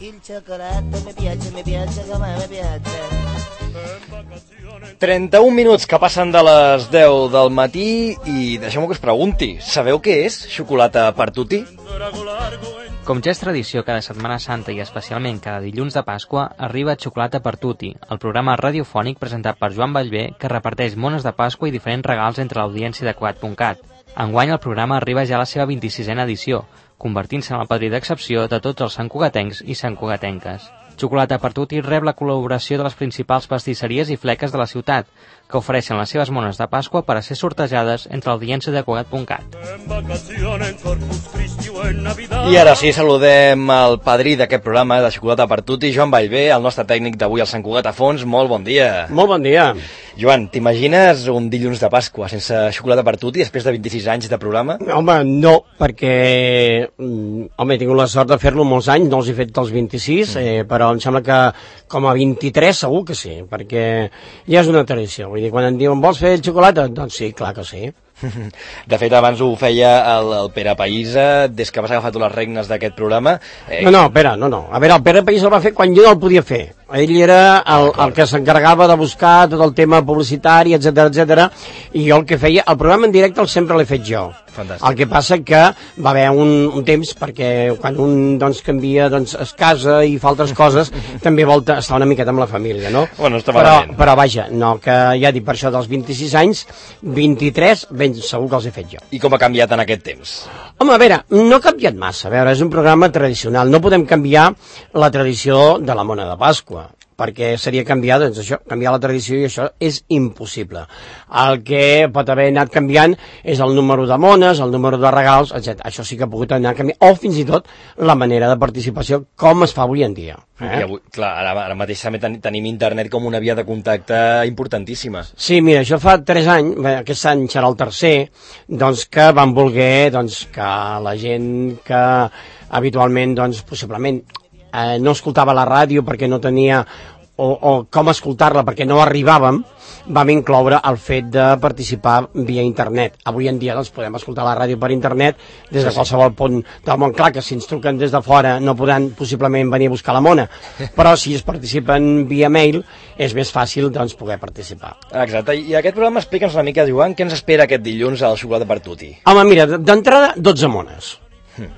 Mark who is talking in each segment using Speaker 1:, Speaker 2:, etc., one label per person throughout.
Speaker 1: il cioccolato mi piace come mi piace.
Speaker 2: 31 minuts que passen de les 10 del matí i deixeu-me que us pregunti, sabeu què és xocolata per tutti?
Speaker 3: Com ja és tradició cada Setmana Santa i especialment cada dilluns de Pasqua, arriba Xocolata per Tutti, el programa radiofònic presentat per Joan Ballbé que reparteix mones de Pasqua i diferents regals entre l'audiència de Cugat.cat. Enguany el programa arriba ja a la seva 26a edició, convertint-se en el padrí d'excepció de tots els santcugatencs i santcugatenques. Xocolata per Tutti rep la col·laboració de les principals pastisseries i fleques de la ciutat, que ofereixen les seves mones de Pasqua per a ser sortejades entre l'audiència de Cugat.cat.
Speaker 2: I ara sí, saludem el padrí d'aquest programa de Xocolata per Tutti, Joan Ballbé, el nostre tècnic d'avui al Sant Cugat a Fons. Molt bon dia.
Speaker 4: Molt bon dia.
Speaker 2: Joan, t'imagines un dilluns de Pasqua sense Xocolata per Tutti després de 26 anys de programa?
Speaker 4: Home, no, perquè he tingut la sort de fer-lo molts anys, no els he fet dels 26, però em sembla que com a 23 segur que sí, perquè ja és una tradició. Vull dir, quan em diuen, vols fer xocolata? Doncs sí, clar que sí.
Speaker 2: De fet, abans ho feia el Pere Païsa, des que vas agafar tu les regnes d'aquest programa.
Speaker 4: No. A veure, el Pere Païsa el va fer quan jo no el podia fer. Ell era el que s'encarregava de buscar tot el tema publicitari, etc, i jo el que feia, el programa en directe sempre l'he fet jo.
Speaker 2: Fantàstic.
Speaker 4: El que passa que va haver un temps, perquè quan un canvia, es casa i fa altres coses, també vol estar una miqueta amb la família, no?
Speaker 2: Bueno, està malament.
Speaker 4: Però vaja, no, que ja dic, per això dels 26 anys, 23, ben segur que els he fet jo.
Speaker 2: I com ha canviat en aquest temps?
Speaker 4: Home, a veure, no ha canviat massa. A veure, és un programa tradicional. No podem canviar la tradició de la mona de Pasqua, perquè seria canviar, doncs això, canviar la tradició, i això és impossible. El que pot haver anat canviant és el número de mones, el número de regals, etc. Això sí que ha pogut anar canviant, o fins i tot la manera de participació, com es fa avui en dia.
Speaker 2: I avui, clar, ara mateix també tenim internet com una via de contacte importantíssima.
Speaker 4: Sí, mira, això fa 3 anys, aquest any serà el tercer, doncs que van voler que la gent que habitualment, possiblement, no escoltava la ràdio perquè no tenia o com escoltar-la perquè no arribàvem, vam incloure el fet de participar via internet. Avui en dia podem escoltar la ràdio per internet des de qualsevol punt del món. Clar que si ens truquen des de fora no podran possiblement venir a buscar la mona, però si es participen via mail és més fàcil poder participar.
Speaker 2: Exacte, i aquest programa explica'ns una mica, Joan, què ens espera aquest dilluns a la Xocolata per Tutti?
Speaker 4: Home, mira, d'entrada 12 mones.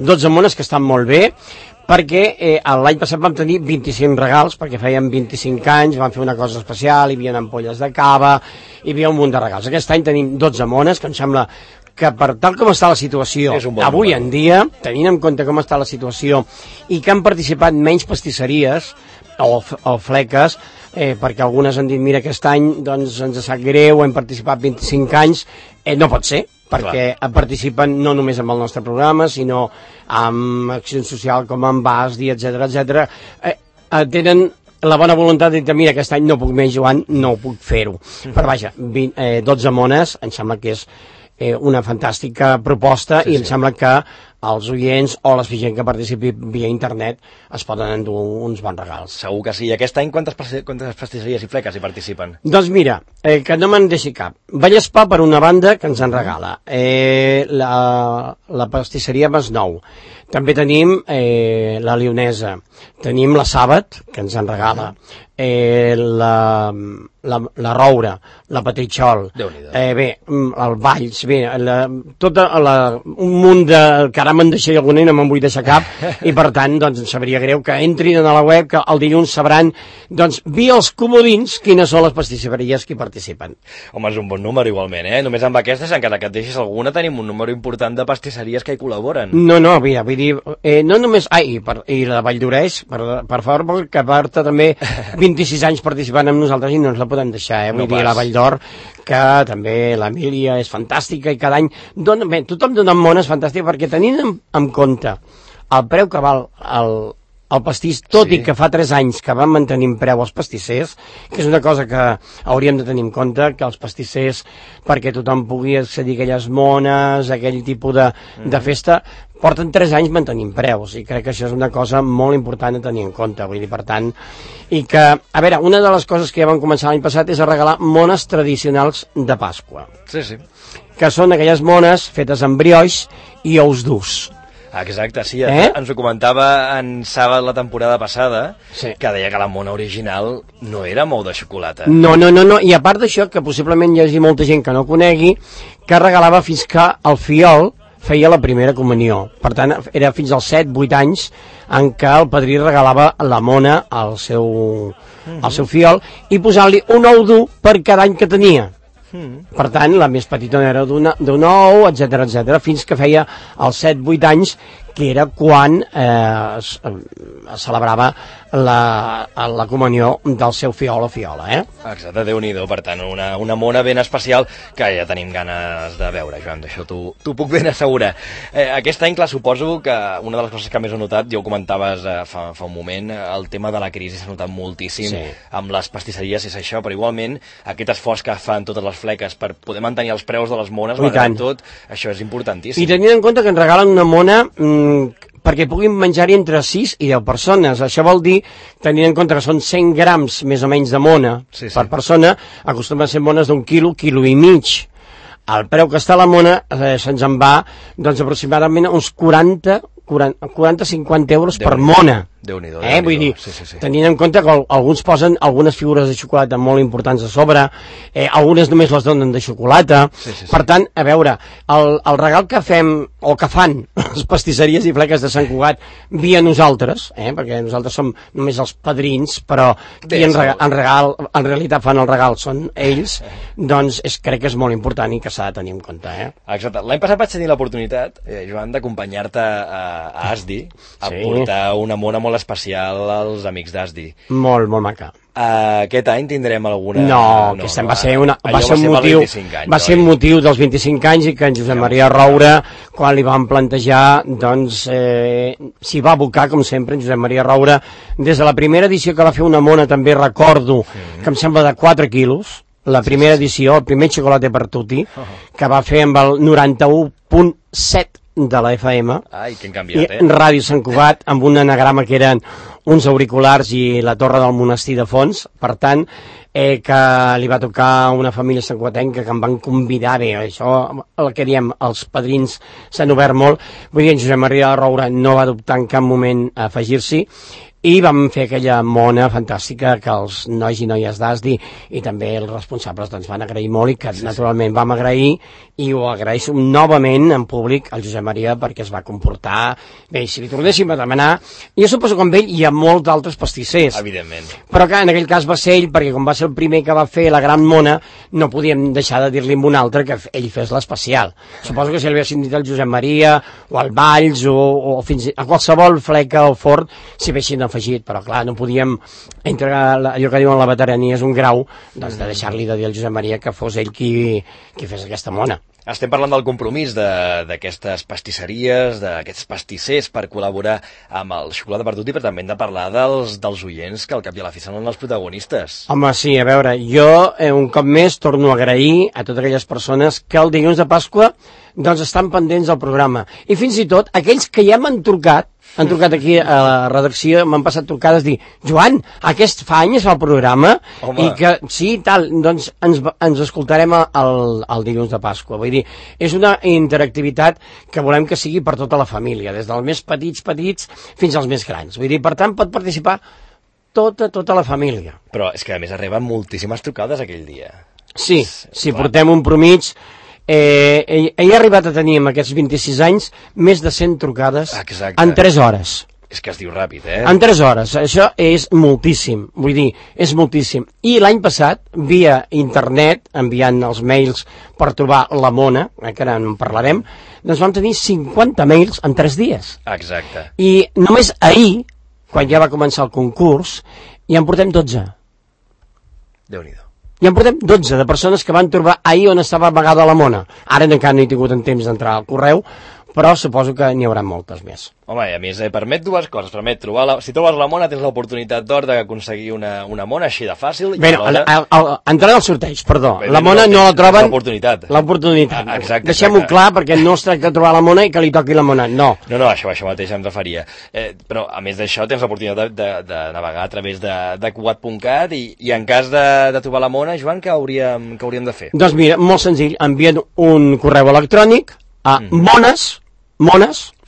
Speaker 4: 12 mones que estan molt bé, perquè l'any passat vam tenir 25 regals, perquè fèiem 25 anys, vam fer una cosa especial, hi havia ampolles de cava, hi havia un munt de regals. Aquest any tenim 12 mones, que em sembla que per tal com està la situació avui en dia, tenint en compte com està la situació, i que han participat menys pastisseries o fleques, perquè algunes han dit, mira, aquest any ens sap greu, hem participat 25 anys, no pot ser, perquè participen no només amb el nostre programa, sinó amb Acció Social com amb BASDI, etc. Tenen la bona voluntat de dir, mira, aquest any no puc més, Joan, no puc fer-ho. Però vaja, 12 mones, em sembla que és una fantàstica proposta, i em sembla que els oients o la gent que participi via internet es poden endur uns bons regals.
Speaker 2: Segur que sí. I aquest any quantes pastisseries i fleques hi participen?
Speaker 4: Doncs mira, que no me'n deixi cap. Vallespà, per una banda, que ens en regala. La pastisseria Masnou. També tenim la Lionesa. Tenim la Sàbat, que ens en regala. La Roura, la Petritxol, el Valls, tot un munt de... que ara me'n deixaré alguna i no me'n vull deixar cap, i per tant, em sabria greu que entrin a la web, que el dilluns sabran, via els comodins, quines són les pastisseries que hi participen.
Speaker 2: Home, és un bon número igualment, Només amb aquestes, encara que et deixis alguna, tenim un número important de pastisseries que hi col·laboren.
Speaker 4: No, mira, vull dir, no només... I la Vall d'Oreix, per favor, que porta també 26 anys participant amb nosaltres i no ens la podem deixar, Vull dir, la Vall d'Or, que també l'Emília és fantàstica i cada any... tothom dona mones fantàstiques, perquè tenint en compte el preu que val el pastís, tot i que fa 3 anys que van mantenir preu els pastissers, que és una cosa que hauríem de tenir en compte, que els pastissers, perquè tothom pugui accedir a aquelles mones, a aquell tipus de festa, porten 3 anys mantenint preus, i crec que això és una cosa molt important a tenir en compte, vull dir, per tant, i que, a veure, una de les coses que ja vam començar l'any passat és a regalar mones tradicionals de Pasqua.
Speaker 2: Sí.
Speaker 4: Que són aquelles mones fetes amb brioix i ous durs.
Speaker 2: Exacte, sí, ens ho comentava en Sàbat la temporada passada, que deia que la mona original no era mou de xocolata.
Speaker 4: No, i a part d'això, que possiblement hi hagi molta gent que no conegui, que regalava fins que el fiol feia la primera comunió. Per tant, era fins als 7-8 anys en què el padrí regalava la mona al seu fiol i posant-li un ou dur per cada any que tenia. Per tant, la més petita era d'un ou, etc, fins que feia els 7-8 anys, que era quan es celebrava la comunió del seu fiol o fiola,
Speaker 2: Exacte, Déu-n'hi-do, per tant, una mona ben especial que ja tenim ganes de veure, Joan, d'això t'ho puc ben assegurar. Aquest any, clar, suposo que una de les coses que més he notat, ja ho comentaves fa un moment, el tema de la crisi s'ha notat moltíssim amb les pastisseries, és això, però igualment aquest esforç que fan totes les fleques per poder mantenir els preus de les mones, malgrat tot, això és importantíssim.
Speaker 4: I tenint en compte que ens regalen una mona perquè puguin menjar-hi entre 6 i 10 persones. Això vol dir, tenint en compte que són 100 grams més o menys de mona per persona, acostumen a ser mones d'un quilo, quilo i mig. El preu que està la mona se'ns en va aproximadament uns 40-50 euros per mona.
Speaker 2: Déu-n'hi-do.
Speaker 4: Vull dir, tenint en compte que alguns posen algunes figures de xocolata molt importants a sobre, algunes només les donen de xocolata. Per tant, a veure, el regal que fem, o que fan les pastisseries i fleques de Sant Cugat via nosaltres, perquè nosaltres som només els padrins, però qui en realitat fan el regal són ells, doncs crec que és molt important i que s'ha de tenir en compte.
Speaker 2: Exacte. L'any passat vaig tenir l'oportunitat, Joan, d'acompanyar-te a Asdi a portar una mona molt especial als amics d'Asdi.
Speaker 4: Molt maca.
Speaker 2: Aquest any tindrem alguna...
Speaker 4: No, aquest any va ser un motiu dels 25 anys i que en Josep Maria Roura, quan li vam plantejar, doncs s'hi va abocar, com sempre, en Josep Maria Roura. Des de la primera edició que va fer una mona, també recordo que em sembla de 4 quilos, la primera edició, el primer xocolate per tutti, que va fer amb el 91.7 de la FM,
Speaker 2: i
Speaker 4: Ràdio Sant Cugat, amb un anagrama que eren uns auriculars i la torre del monestir de fons. Per tant, que li va tocar una família santcugatenca que em van convidar, això el que diem, els padrins s'han obert molt. Vull dir, en Josep Maria Roura no va dubtar en cap moment a afegir-s'hi, i vam fer aquella mona fantàstica que els nois i noies d'Asdi i també els responsables doncs van agrair molt i que naturalment vam agrair, i ho agraeixo novament en públic al Josep Maria perquè es va comportar bé. Si li tornéssim a demanar, jo suposo que amb ell hi ha molts altres pastissers,
Speaker 2: evidentment,
Speaker 4: però que en aquell cas va ser ell, perquè com va ser el primer que va fer la gran mona, no podíem deixar de dir-li amb un altre que ell fes l'especial. Suposo que si l'haguessin dit al Josep Maria o al Valls o fins a qualsevol fleca o fort s'hi haguessin afegit, però clar, no podíem entregar allò que diuen la veterania és un grau, doncs de deixar-li de dir al Josep Maria que fos ell qui fes aquesta mona.
Speaker 2: Estem parlant del compromís d'aquestes pastisseries, d'aquests pastissers per col·laborar amb el Xocolata per Tutti, però també hem de parlar dels oients, que al cap i a la fi són els protagonistes.
Speaker 4: Home, sí, a veure, jo un cop més torno a agrair a totes aquelles persones que el dilluns de Pasqua doncs estan pendents del programa, i fins i tot aquells que ja m'han trucat aquí a la redacció, m'han passat trucades dir, Joan, aquest fa anys es fa el programa, i que sí, tal, doncs ens escoltarem el dilluns de Pasqua. Vull dir, és una interactivitat que volem que sigui per tota la família, des dels més petits fins als més grans. Vull dir, per tant, pot participar tota la família.
Speaker 2: Però és que a més arriben moltíssimes trucades aquell dia.
Speaker 4: Sí, portem un promig. Ell ha arribat a tenir en aquests 26 anys més de 100 trucades en 3 hores.
Speaker 2: És que es diu ràpid,
Speaker 4: En 3 hores, això és moltíssim, vull dir, és moltíssim. I l'any passat, via internet, enviant els mails per trobar la mona, que ara en parlarem, doncs vam tenir 50 mails en 3 dies.
Speaker 2: Exacte.
Speaker 4: I només ahir, quan ja va començar el concurs, ja en portem 12.
Speaker 2: Déu-n'hi-do.
Speaker 4: I en portem 12 de persones que van trobar ahir on estava amagada la mona. Ara encara no he tingut en temps d'entrar al correu, però suposo que n'hi haurà moltes més.
Speaker 2: Home, i a més permet dues coses. Permet trobar si trobes la mona tens l'oportunitat d'or d'aconseguir una mona així de fàcil.
Speaker 4: Bé, entrant al sorteig, perdó. La mona no la troben...
Speaker 2: L'oportunitat.
Speaker 4: L'oportunitat. Deixem-ho clar, perquè no es tracta de trobar la mona i que li toqui la mona, no.
Speaker 2: No, això mateix em referia. Però, a més d'això, tens l'oportunitat de navegar a través de cugat.cat i en cas de trobar la mona, Joan, què hauríem de fer?
Speaker 4: Doncs mira, molt senzill. Envien un correu electrònic a mones,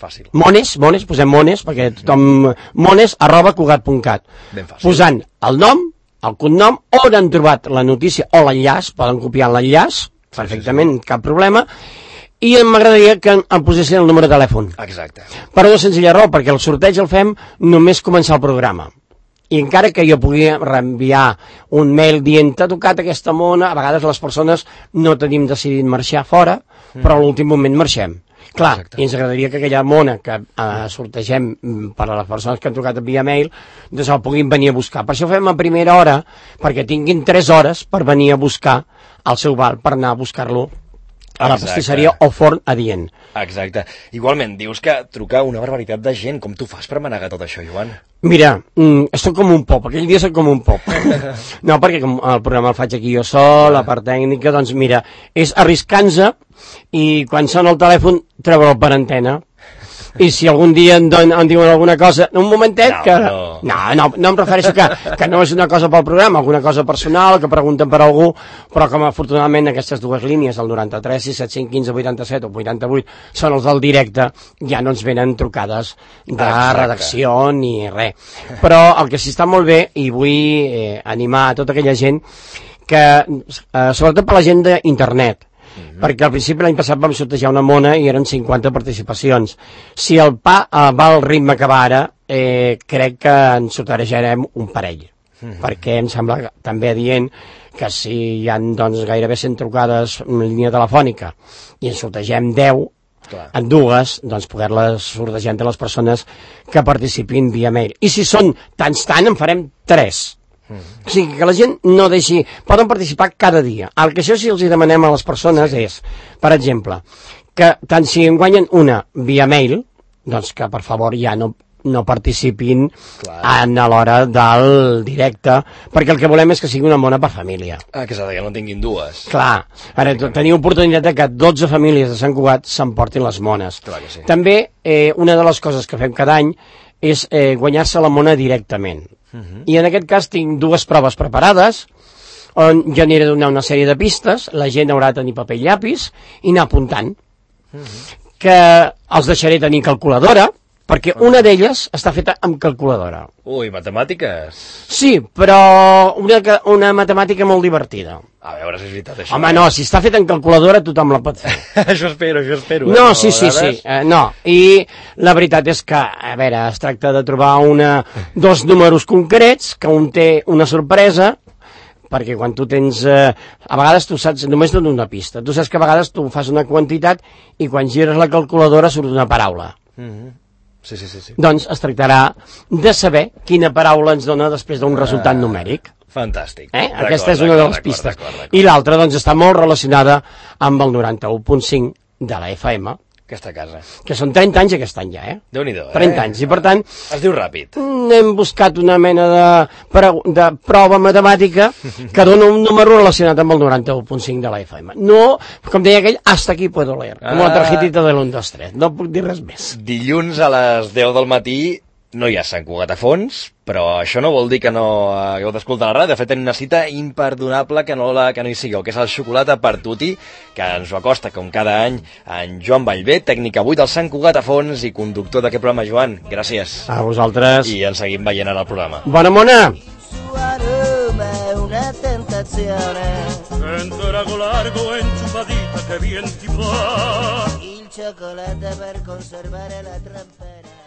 Speaker 2: Fàcil.
Speaker 4: Mones, posem mones, perquè tothom... mones@cugat.cat.
Speaker 2: Ben fàcil.
Speaker 4: Posant el nom, el cognom, on han trobat la notícia o l'enllaç, poden copiar l'enllaç, perfectament, cap problema, i m'agradaria que em posessin el número de telèfon.
Speaker 2: Exacte.
Speaker 4: Per una senzilla raó, perquè el sorteig el fem només començar el programa. I encara que jo pugui reenviar un mail dient t'ha tocat aquesta mona, a vegades les persones no tenim decidit marxar fora, però a l'últim moment marxem. Clar, exacte. I ens agradaria que aquella mona que sortegem per a les persones que han trucat via mail, doncs el puguin venir a buscar. Per això ho fem a primera hora, perquè tinguin 3 hores per venir a buscar el seu val, per anar a buscar-lo a la pastisseria o forn adient.
Speaker 2: Exacte. Igualment, dius que truca una barbaritat de gent. Com tu fas per manegar tot això, Joan?
Speaker 4: Mira, soc com un pop, aquell dia soc com un pop. No, perquè com el programa el faig aquí jo sol, la part tècnica, doncs mira, és arriscant-se i quan sona el telèfon treure'l per antena. I si algun dia em diuen alguna cosa, un momentet que... No em refereixo que no és una cosa pel programa, alguna cosa personal, que pregunten per algú, però com afortunadament aquestes dues línies, el 93, 675, 15, 87 o 88, són els del directe, ja no ens venen trucades de redacció ni res. Però el que sí està molt bé, i vull animar a tota aquella gent, que sobretot per la gent d'internet, perquè al principi l'any passat vam sortejar una mona i eren 50 participacions. Si el pa va al ritme que va ara, crec que en sortejarem un parell, perquè em sembla també adient que si hi ha doncs, gairebé 100 trucades en línia telefònica i en sortegem 10, en dues, doncs poder-les sortejar entre les persones que participin via mail. I si són tant en farem 3. O sigui, que la gent no deixi... Poden participar cada dia. El que això sí els demanem a les persones és, per exemple, que tant si en guanyen una via mail, doncs que per favor ja no participin a l'hora del directe, perquè el que volem és que sigui una mona per família.
Speaker 2: Exacte, que no tinguin dues.
Speaker 4: Clar, ara tenir oportunitat de que 12 famílies de Sant Cugat s'emportin les mones.
Speaker 2: Clar que sí.
Speaker 4: També una de les coses que fem cada any és guanyar-se la mona directament. I en aquest cas tinc dues proves preparades on jo aniré a donar una sèrie de pistes, la gent haurà de tenir paper i llapis i anar apuntant, que els deixaré tenir calculadora, perquè una d'elles està feta amb calculadora.
Speaker 2: Ui, matemàtiques?
Speaker 4: Sí, però una matemàtica molt divertida.
Speaker 2: A veure si és veritat això.
Speaker 4: Home, no, si està feta en calculadora tothom la pot fer.
Speaker 2: Això espero.
Speaker 4: No, sí. No, i la veritat és que, a veure, es tracta de trobar dos números concrets, que un té una sorpresa, perquè quan tu tens... a vegades tu saps, només dono una pista, tu saps que a vegades tu fas una quantitat i quan gires la calculadora surt una paraula.
Speaker 2: Sí.
Speaker 4: Doncs es tractarà de saber quina paraula ens dona després d'un resultat numèric.
Speaker 2: Fantàstic.
Speaker 4: Aquesta és una de les pistes. I l'altra doncs està molt relacionada amb el 91.5 de la FM,
Speaker 2: aquesta casa.
Speaker 4: Que són 30 anys aquest any ja,
Speaker 2: Déu-n'hi-do,
Speaker 4: 30 anys, i per tant...
Speaker 2: Es diu ràpid.
Speaker 4: Hem buscat una mena de prova matemàtica que dona un número relacionat amb el 91.5 de la FM. No, com deia aquell, hasta aquí puedo leer, com la tarjetita de l'1, 2, 3. No puc dir res més.
Speaker 2: Dilluns a les 10 del matí no hi ha Sant Cugat a fons, però això no vol dir que no hagueu d'escoltar la ràdio. De fet, tenim una cita imperdonable que no hi sigueu, que és el Xocolata per Tutti, que ens ho acosta, com cada any, en Joan Vallvé, tècnic avui del Sant Cugat a fons i conductor d'aquest programa. Joan, gràcies.
Speaker 4: A vosaltres.
Speaker 2: I ens seguim veient en el programa.
Speaker 4: Bona mona!
Speaker 1: Su aroma è una tentazione.
Speaker 5: Sento rago largo e inchupadita che bien ti va.
Speaker 1: Il cioccolato per conservare la trampera.